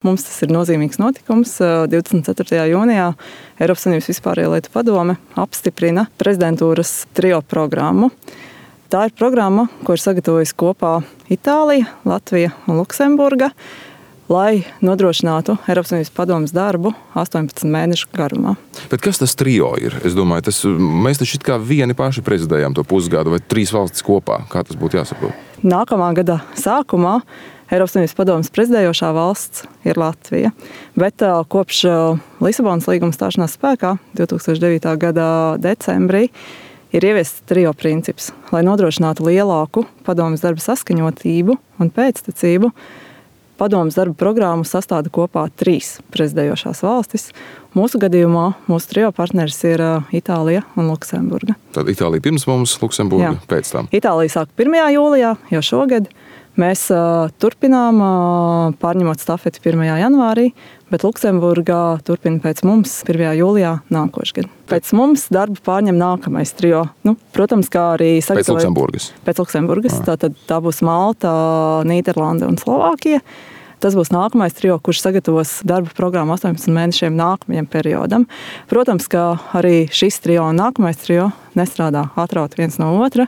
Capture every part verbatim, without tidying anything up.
Mums tas ir nozīmīgs notikums. divdesmit ceturtajā jūnijā Eiropas Savienības vispārējo lietu padome apstiprina prezidentūras trio programmu. Tā ir programma, ko ir sagatavojusi kopā Itālija, Latvija un Luksemburga, lai nodrošinātu Eiropas Savienības padomes darbu astoņpadsmit mēnešu garumā. Bet kas tas trio ir? Es domāju, tas, mēs taču it kā vieni paši prezidējām to pusgadu vai trīs valstis kopā. Kā tas būtu jāsaprot? Nākamā gada sākumā Eiropas Savienības padomes prezidējošā valsts ir Latvija, bet uh, kopš uh, Lisabonas līguma stāšanās spēkā divtūkstoš devītā gada decembrī ir ieviests trio princips, lai nodrošinātu lielāku padomes darba saskaņotību un pēctecību. Padomes darba programmu sastāda kopā trīs prezidējošās valstis. Mūsu gadījumā mūsu trio partneris ir uh, Itālija un Luksemburga. Tad Itālija pirms mums, Luksemburga Jā. Pēc tam. Itālija sāk pirmajā jūlijā, jau šogad. Mēs uh, turpinām, uh, pārņemot stafeti pirmajā janvārī, bet Luksemburgā turpina pēc mums pirmajā jūlijā nākošgad. Pēc mums darbu pārņem nākamais trio. Nu, protams, kā arī sagatavot... Pēc Luksemburgas. Pēc Luksemburgas. Tātad tā būs Malta, Nīderlande un Slovākija. Tas būs nākamais trio, kurš sagatavos darba programmu astoņpadsmit mēnešiem nākamajam periodam. Protams, ka arī šis trio un nākamais trio nestrādā atraut viens no otra.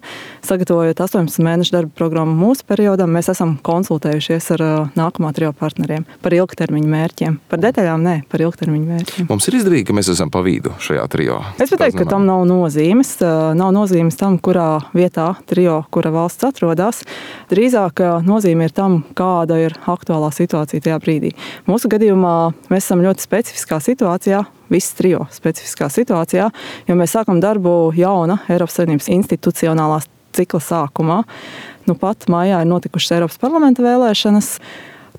Sagatavojot astoņpadsmit mēnešu darba programmu mūsu periodam, mēs esam konsultējušies ar nākamā trio partneriem par ilgtermiņu mērķiem. Par detaļām nē, par ilgtermiņu mērķiem. Mums ir izdevīgi, ka mēs esam pa vidu šajā trio. Es pateiktu, ka tam nav nozīmes. Nav nozīmes tam, kurā vietā trio, kura valsts atrodas. Drīzāk nozīme ir tam, kāda ir aktuālā situācija tajā brīdī. Mūsu gadījumā mēs esam ļoti specifiskā situācijā, viss trio specifiskā situācijā, jo mēs sākam darbu jauna Eiropas Savienības institucionālās cikla sākumā. Nu pat mājā ir notikušas Eiropas parlamenta vēlēšanas,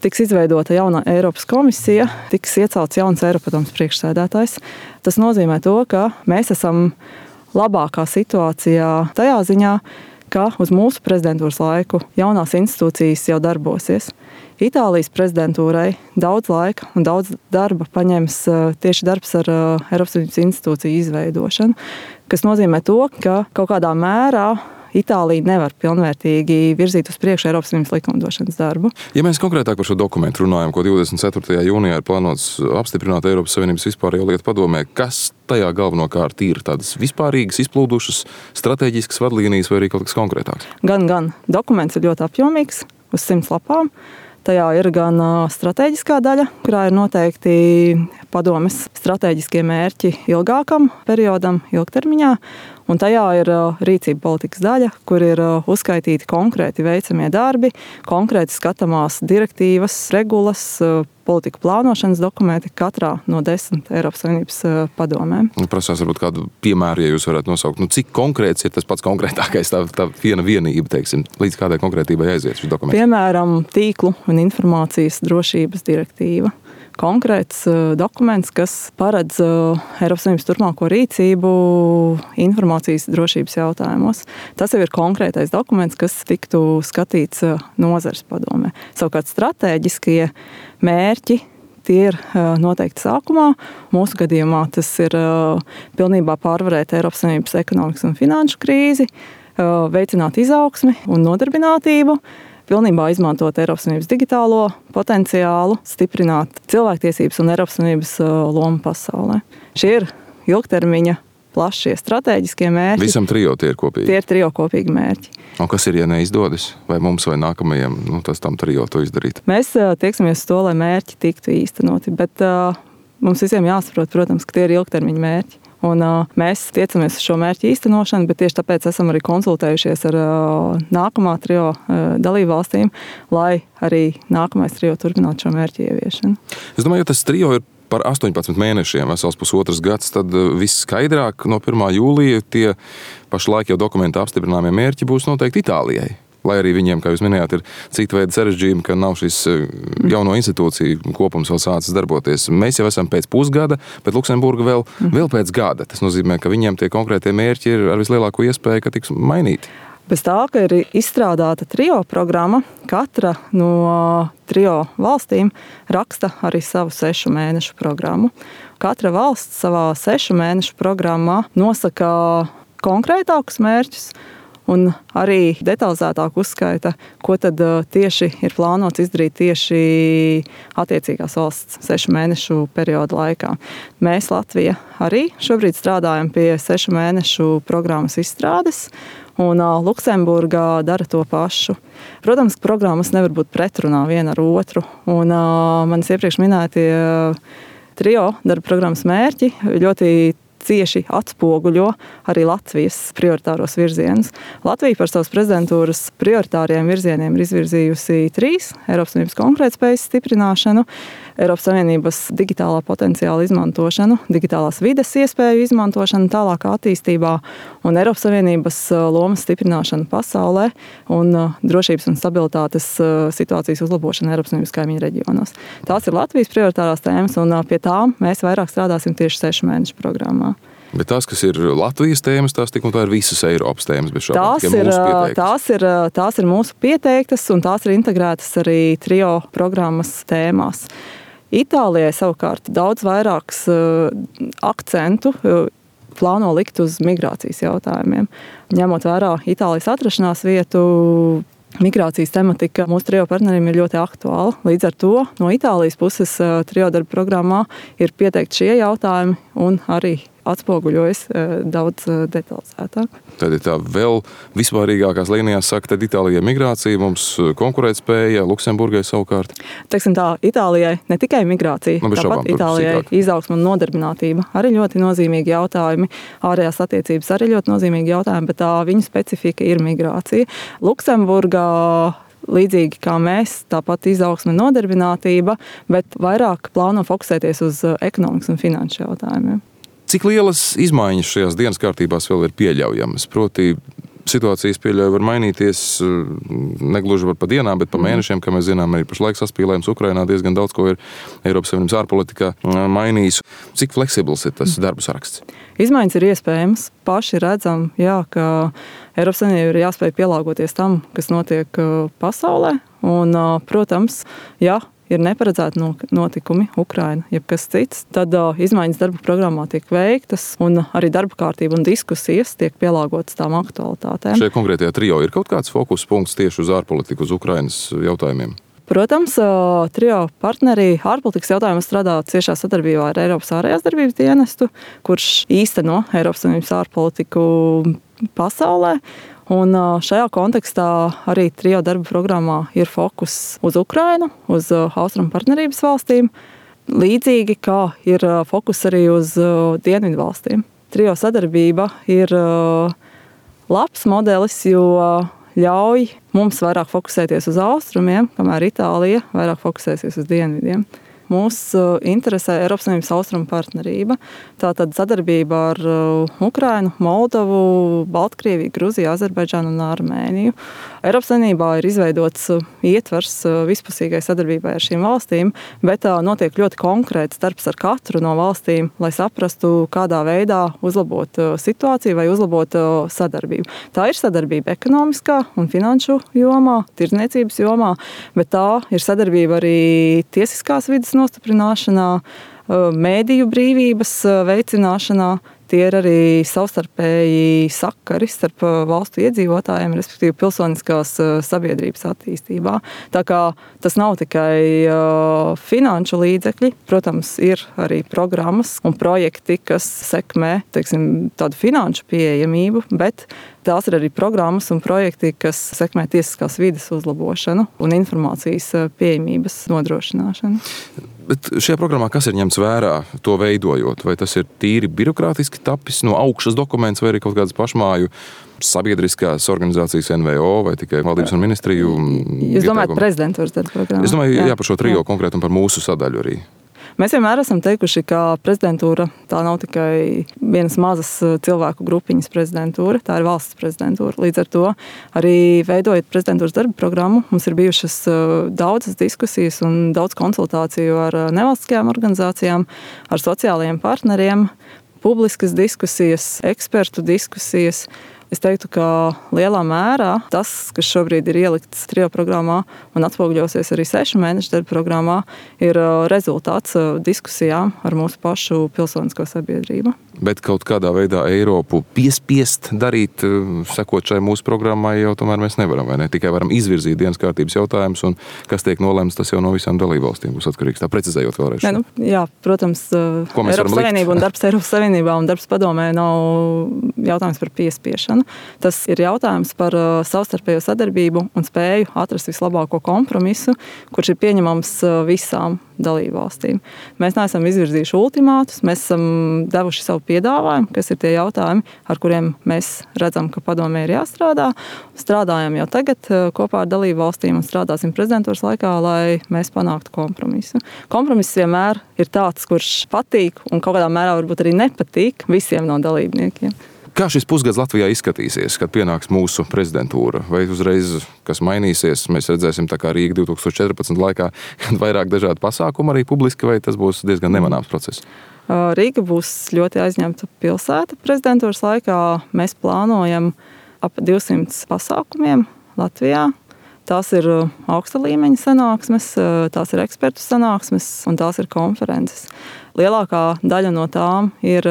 tiks izveidota jauna Eiropas komisija, tiks iecelts jauns Eiropadomes priekšsēdētājs. Tas nozīmē to, ka mēs esam labākā situācijā tajā ziņā, ka uz mūsu prezidentūras laiku jaunās institūcijas jau darbosies. Itālijas prezidentūrai daudz laika un daudz darba paņems tieši darbs ar Eiropas Savienības institūciju izveidošanu, kas nozīmē to, ka kaut kādā mērā Itālija nevar pilnvērtīgi virzīt uz priekšu Eiropas Savienības likumdošanas darbu. Ja mēs konkrētāk par šo dokumentu runājam, ko divdesmit ceturtajā jūnijā ir plānots apstiprināt Eiropas Savienības vispārējo lietu padomē, kas tajā galvenokārt ir tādas vispārīgas, izplūdušas, strateģiskas vadlīnijas vai arī kaut kas konkrētāks? Gan, gan. Dokuments ir ļoti apjomīgs, uz simts lapām. Tajā ir gan stratēģiskā daļa, kurā ir noteikti padomes stratēģiskie mērķi ilgākam periodam, ilgtermiņā, un tajā ir rīcība politikas daļa, kur ir uzskaitīti konkrēti veicamie darbi, konkrēti skatāmās direktīvas, regulas, politiku plānošanas dokumenti katrā no desmit Eiropas Savienības padomēm. Prasās varbūt kādu piemēru, ja jūs varētu nosaukt, nu, cik konkrēts ir tas pats konkrētākais, tā, tā viena vienība, teiksim, līdz kādai konkrētībai aiziet šis dokuments? Piemēram, tīklu un informācijas drošības direktīva. Konkrēts dokuments, kas paredz Eiropas Savienības turpmāko rīcību informācijas drošības jautājumos. Tas jau ir konkrētais dokuments, kas tiktu skatīts nozares padomē. Savukārt stratēģiskie mērķi tie ir noteikti sākumā. Mūsu gadījumā tas ir pilnībā pārvarēt Eiropas Savienības ekonomikas un finanšu krīzi, veicināt izaugsmi un nodarbinātību, pilnībā izmantot Eiropas Savienības digitālo potenciālu, stiprināt cilvēktiesības un Eiropas Savienības lomu pasaulē. Šie ir ilgtermiņa plašie stratēģiskie mērķi. Visam trio tie ir kopīgi? Tie ir trio kopīgi mērķi. Un kas ir, ja neizdodas? Vai mums vai nākamajam, nu, tas tam trio to izdarīt? Mēs tieksimies uz to, lai mērķi tiktu īstenoti, bet uh, mums visiem jāsaprot, protams, ka tie ir ilgtermiņa mērķi. Un uh, mēs tiecamies uz šo mērķu īstenošanu, bet tieši tāpēc esam arī konsultējušies ar uh, nākamā trio uh, dalību valstīm, lai arī nākamais trio turpinātu šo mērķu ieviešanu. Es domāju, ja tas trio ir par astoņpadsmit mēnešiem, vesels pusotras gads, tad viss skaidrāk no pirmā jūlija tie pašlaik jau dokumentā apstiprināmie mērķi būs noteikti Itālijai. Lai arī viņiem, kā jūs minējāt, ir cita veida sarežģījumi, ka nav šis jauno institūciju kopums vēl sācis darboties. Mēs jau esam pēc pusgada, bet Luksemburga vēl, vēl pēc gada. Tas nozīmē, ka viņiem tie konkrētie mērķi ir ar vislielāko iespēju, ka tiks mainīti. Bez tā, ka ir izstrādāta trio programma, katra no trio valstīm raksta arī savu sešu mēnešu programmu. Katra valsts savā sešu mēnešu programmā nosaka konkrētākus mērķus un arī detalizētāk uzskaita, ko tad tieši ir plānots izdarīt tieši attiecīgās valsts sešu mēnešu perioda laikā. Mēs, Latvija, arī šobrīd strādājam pie sešu mēnešu programmas izstrādes, un Luksemburgā dara to pašu. Protams, programmas nevar būt pretrunā viena ar otru, un manis iepriekš minētie trio darba programmas mērķi ļoti cieši atspoguļo arī Latvijas prioritāros virzienus. Latvija par savas prezidentūras prioritāriem virzieniem ir izvirzījusi trīs: Eiropas Savienības konkurētspējas stiprināšanu, Eiropas Savienības digitālā potenciāla izmantošanu, digitālās vides iespēju izmantošanu tālākā attīstībā un Eiropas Savienības lomas stiprināšanu pasaulē un drošības un stabilitātes situācijas uzlabošanu Eiropas Savienības kaimiņu reģionos. Tās ir Latvijas prioritārās tēmas, un pie tām mēs vairāk strādāsim tieši sešu mēnešu programmā. Bet tās, kas ir Latvijas tēmas, tās tik un tā ir visas Eiropas tēmas, bet šādi tās, ir, tās, ir, tās ir mūsu pieteiktas, un tās ir integrētas arī trio programmas tēmās. Itālijai savukārt daudz vairāks akcentu plāno likt uz migrācijas jautājumiem. Ņemot vērā Itālijas atrašanās vietu, migrācijas tematika mūsu trio partneriem ir ļoti aktuāla. Līdz ar to no Itālijas puses trio darba programmā ir pieteikti šie jautājumi un arī atspoguļojas daudz detalizētāk. Tad ir tā vēl vispārīgākās līnijās saka, tad Itālijai migrācija, mums konkurētspēja, Luksemburgai savukārt. Teiksim tā, Itālijai ne tikai migrācija, nu, tāpat šaubām, Itālijai izaugsme un nodarbinātība arī ļoti nozīmīgi jautājumi, ārējās attiecības arī ļoti nozīmīgi jautājumi, bet tā viņu specifika ir migrācija. Luksemburgā līdzīgi kā mēs, tāpat izaugsme un nodarbinātība, bet vairāk plāno fokusēties uz ekonomikas un finanšu jautājumiem. Cik lielas izmaiņas šajās dienas kārtībās vēl ir pieļaujamas? Proti, situācijas pieļauja var mainīties negluži par pa dienām, bet pa mēnešiem, kā mēs zinām, arī pašlaik saspīlējums Ukrainā diezgan daudz ko ir Eiropas Savienības ārpolitikā mainījis. Cik fleksibls ir tas darbu saraksts? Izmaiņas ir iespējamas. Paši redzam, jā, ka Eiropas Savienība ir jāspēj pielāgoties tam, kas notiek pasaulē. Un, protams, jā, ir neparedzēti notikumi Ukraina, jeb kas cits, tad uh, izmaiņas darba programmā tiek veiktas un arī darba kārtība un diskusijas tiek pielāgotas tām aktualitātēm. Šajā konkrētajā trio ir kaut kāds fokus punkts tieši uz ārpolitiku, uz Ukrainas jautājumiem? Protams, uh, trio partneri ārpolitikas jautājumos strādā ciešā sadarbībā ar Eiropas ārējās darbības dienestu, kurš īsteno Eiropas Savienības ārpolitiku pasaulē. Un šajā kontekstā arī trio darba programmā ir fokus uz Ukrainu, uz austrumu partnerības valstīm, līdzīgi kā ir fokus arī uz dienvidu valstīm. Trio sadarbība ir labs modelis, jo ļauj mums vairāk fokusēties uz austrumiem, kamēr Itālija vairāk fokusēsies uz dienvidiem. Mūs interesē Eiropas Savienības austrumu partnerība. Tātad sadarbība ar Ukrainu, Moldovu, Baltkrieviju, Gruziju, Azerbaidžānu un Armēniju. Eiropas Savienībā ir izveidots ietvers vispusīgai sadarbībai ar šīm valstīm, bet notiek ļoti konkrēts darbs ar katru no valstīm, lai saprastu, kādā veidā uzlabot situāciju vai uzlabot sadarbību. Tā ir sadarbība ekonomiskā un finanšu jomā, tirdzniecības jomā, bet tā ir sadarbība arī tiesiskās vides nostiprināšanā, mēdīju brīvības veicināšanā. Tie ir arī savstarpēji sakari starp valstu iedzīvotājiem, respektīvi pilsoniskās sabiedrības attīstībā. Tā kā tas nav tikai finanšu līdzekļi, protams, ir arī programmas un projekti, kas sekmē, teiksim, tādu finanšu pieejamību, bet tās ir arī programmas un projekti, kas sekmē tiesiskās vides uzlabošanu un informācijas pieejamības nodrošināšanu. Bet šajā programmā kas ir ņemts vērā, to veidojot? Vai tas ir tīri birokrātiski tapis no augšas dokuments vai arī kaut kādas pašmāju sabiedriskās organizācijas N V O vai tikai valdības un ministriju? Jūs domājat prezidentūras darba programmu? Es domāju, jā, jā par šo trio jā. Konkrēti un par mūsu sadaļu arī. Mēs vienmēr esam teikuši, ka prezidentūra tā nav tikai vienas mazas cilvēku grupiņas prezidentūra, tā ir valsts prezidentūra. Līdz ar to arī veidojot prezidentūras darba programmu, mums ir bijušas daudzas diskusijas un daudz konsultāciju ar nevalstiskajām organizācijām, ar sociālajiem partneriem, publiskas diskusijas, ekspertu diskusijas. Es teiktu, ka lielā mērā tas, kas šobrīd ir ielikts trio programmā un atspoguļosies arī sešu mēnešu darba programmā, ir rezultāts diskusijām ar mūsu pašu pilsonisko sabiedrību. Bet kaut kādā veidā Eiropu piespiest darīt, sekot šai mūsu programmai, jau tomēr mēs nevaram, vai ne? Tikai varam izvirzīt dienas kārtības jautājumus, un kas tiek nolemts, tas jau no visām dalībvalstīm būs atkarīgs. Tā precizējot vēlreiz. Ne, nu, jā, protams, Eiropas Savienība un darbs Eiropas Savienībā un darbs padomē nav jautājums par piespiešanu. Tas ir jautājums par savstarpējo sadarbību un spēju atrast vislabāko kompromisu, kurš ir pieņemams visām dalībvalstīm. Mēs neesam izvirzījuši ultimātus, mēs esam devuši savu piedāvājumu, kas ir tie jautājumi, ar kuriem mēs redzam, ka padomē ir jāstrādā. Strādājam jau tagad kopā ar dalībvalstīm un strādāsim prezidentūras laikā, lai mēs panāktu kompromisu. Kompromiss vienmēr ir tāds, kurš patīk un kaut kādā mērā varbūt arī nepatīk visiem no dalībniekiem. Kā šis pusgads Latvijā izskatīsies, kad pienāks mūsu prezidentūra? Vai uzreiz kas mainīsies? Mēs redzēsim tā kā Rīga divi tūkstoši četrpadsmit laikā, kad vairāk dažādu pasākumu arī publiski, vai tas būs diezgan nemanāms process? Rīga būs ļoti aizņemta pilsēta prezidentūras laikā. Mēs plānojam ap divsimt pasākumiem Latvijā. Tās ir augsta līmeņa sanāksmes, tās ir ekspertu sanāksmes un tās ir konferences. Lielākā daļa no tām ir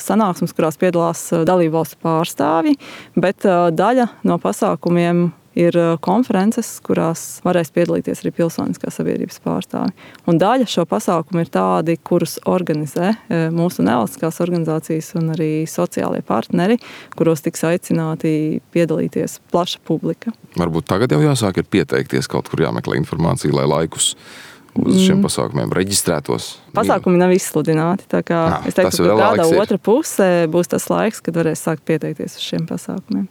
sanāksmes, kurās piedalās dalībvalstu pārstāvji, bet daļa no pasākumiem ir konferences, kurās varēs piedalīties arī pilsoniskās sabiedrības pārstāvji. Un daļa šo pasākumu ir tādi, kurus organizē mūsu nevalstiskās organizācijas un arī sociālie partneri, kuros tiks aicināti piedalīties plaša publika. Varbūt tagad jau jāsāk ir pieteikties, kaut kur jāmeklē informācija, lai laikus uz šiem pasākumiem reģistrētos. Pasākumi nav izsludināti, tā kā Nā, es teiktu, ka kādā otra puse būs tas laiks, kad varēs sākt pieteikties uz šiem pasākumiem.